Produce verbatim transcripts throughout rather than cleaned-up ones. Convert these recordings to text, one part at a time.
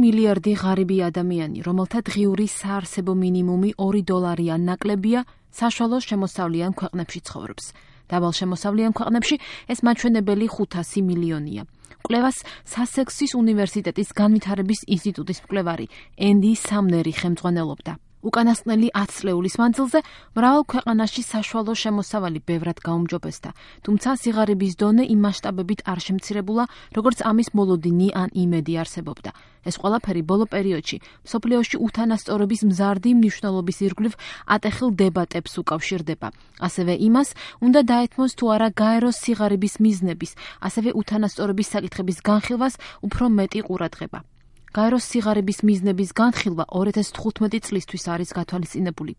მილიარდი ღარიბი ადამიანი, რომელთა დღიური საარსებო მინიმუმი ორი დოლარიან ნაკლებია, საშუალო შემოსავლიან ქვეყნებში ცხოვრობს. დაბალშემოსავლიან ქვეყნებში ეს მაჩვენებელი ხუთასი მილიონია. კვლევას სასექსის უნივერსიტეტის განვითარების ინსტიტუტის მკვლევარი ენდი სამნერი ხელმძღვანელობდა. უკანასკნელი ათი წლეულის მანძილზე მრავალ ქვეყანაში საშუალო შემოსავალი ბევრად გაუმჯობესდა, თუმცა სიღარიბის დონე იმ მასშტაბებით არ შემცირებულა, როგორც ამის მოლოდინი ან იმედი არსებობდა. ეს ყველაფერი ბოლო პერიოდში მსოფლიოში უთანასწორობის მზარდი მნიშვნელობის ირგვლივ ატეხილ დებატებს უკავშირდება. ასევე იმას უნდა დაეთმოს თუ არა გაეროს სიღარიბის მიზნების, ასევე უთანასწორობის საკითხების განხილვას უფრო მეტი ყურადღება. გაეროს სიღარიბის მიზნების განხილვა ორი ათას თხუთმეტი წლისთვის არის გათვალისწინებული.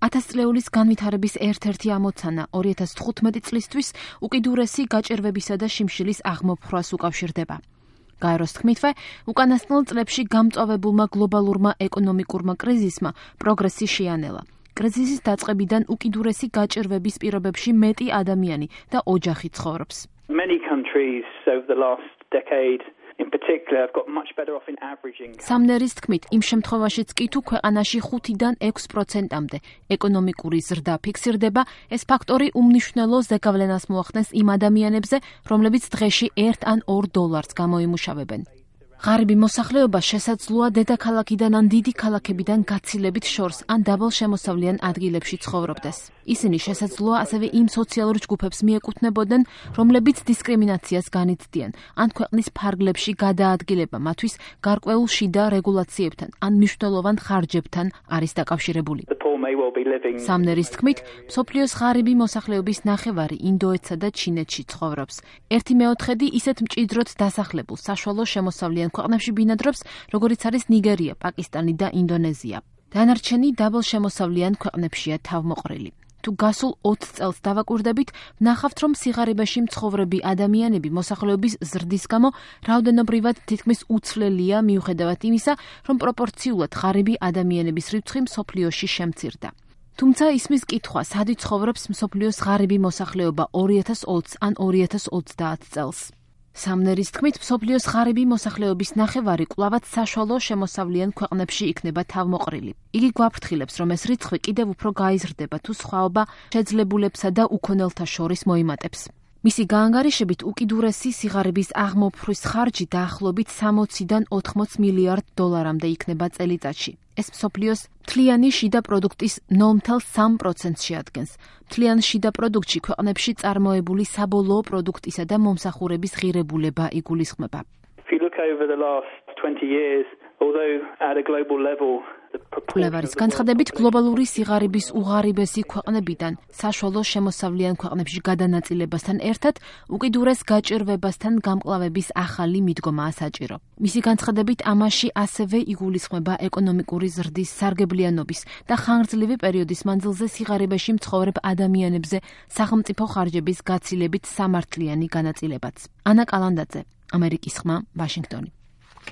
ათას წლეულის განვითარების ერთ-ერთი ამოცანა ორი ათას თხუთმეტი წლისთვის უკიდურესი გაჭირვებისა და შიმშილის აღმოფხვას უკავშირდება. გაეროს თქმითვე, უკანასკნელ წლებში გამწვავებულმა გლობალურმა ეკონომიკურმა კრიზისმა პროგრესი შეანელა. კრიზისის დაწყებიდან უკიდურესი გაჭირვების პირობებში მეტი ადამიანი და ოჯახი ცხოვრობს. Many countries over the last decade in particular have got much better off in averaging. სამნერის თქმით, იმ შემთხვევაშიც კი თუ ქვეყანაში ხუთიდან ექვს პროცენტამდე ეკონომიკური ზრდა ფიქსირდება, ეს ფაქტორი უმნიშვნელო ზეგავლენას მოახდენს იმ ადამიანებზე, რომლებიც დღეში ერთ ან ორ დოლარს გამოიმუშავებენ. ღარიბი მოსახლეობა შესაძლოა დედაქალაქიდან ან დიდი ქალაქებიდან გაცილებით შორს ან დაბალშემოსავლიან ადგილებში ცხოვრობდეს. ისინი შესაძლოა ასევე იმ სოციალურ ჯგუფებს მიეკუთვნებოდნენ, რომლებიც დისკრიმინაციას განიცდიან, ან ქვეყნის ფარგლებში გადაადგილება მათთვის გარკვეულ შიდა რეგულაციებთან ან მნიშვნელოვან ხარჯებთან არის დაკავშირებული. სამნერის თქმით, მსოფლიოს ღარიბი მოსახლეობის ნახევარი ინდოეთსა და ჩინეთში ცხოვრობს. ერთი მეოთხედი ისეთ მჭიდროდ დასახლებულ საშუალო შემოსავლიან ქვეყნებში ბინადრობს, როგორიც არის ნიგერია, პაკისტანი და ინდონეზია. დანარჩენი დაბალშემოსავლიან ქვეყნებშია თავმოყრილი. თუ გასულ ოცი წელს დავაკვირდებით, ვნახავთ, რომ სიღარიბეში მცხოვრები ადამიანები მოსახლეობის ზრდის გამო რაოდენობრივად თითქმის უცვლელია მიუხედავად იმისა, რომ პროპორციულად ღარიბი ადამიანების რიცხვი მსოფლიოში შემცირდა. თუმცა ისმის კითხვა, სად ცხოვრობს მსოფლიოს ღარიბი მოსახლეობა ორი ათას ოცი ან ორი ათას ოცდაათი წელს. სამნერის თქმით, მსოფლიოს ღარიბი მოსახლეობის ნახევარი კვლავაც საშუალო შემოსავლიან ქვეყნებში იქნება თავმოყრილი. იგი გვაფრთხილებს, რომ ეს რიცხვი კიდევ უფრო გაიზრდება, თუ სხვაობა შეძლებულებსა და უქონელთა შორის მოიმატებს. მისი გაანგარიშებით უკიდურესი სიღარიბის აღმოფხვის ხარჯი დაახლოებით სამოციდან ოთხმოცი მილიარდ დოლარამდე იქნება წელიწადში. ეს მსოფლიოს მთლიანი შიდა პროდუქტის ნულ ოცდაათი სამ პროცენტს შეადგენს. მთლიან შიდა პროდუქტში ქვეყნებში წარმოებული საბოლოო პროდუქტისა და მომსახურების ღირებულება იგულისხმება. კვლევარის განცხადებით, გლობალური სიღარიბის უღარიბესი ქვეყნებიდან საშუალო შემოსავლიან ქვეყნებში გადანაწილებასთან ერთად უკიდურეს გაჭირვებასთან გამკლავების ახალი მიდგომაა საჭირო. მისი განცხადებით, ამაში ასევე იგულისხმება ეკონომიკური ზრდის სარგებლიანობის და ხანგრძლივი პერიოდის მანძილზე სიღარიბეში მცხოვრებ ადამიანებზე სახელმწიფო ხარჯების გაცილებით სამართლიანი განაწილებაც. ანა კალანდაძე, ამერიკის ხმა, ვაშინგტონი.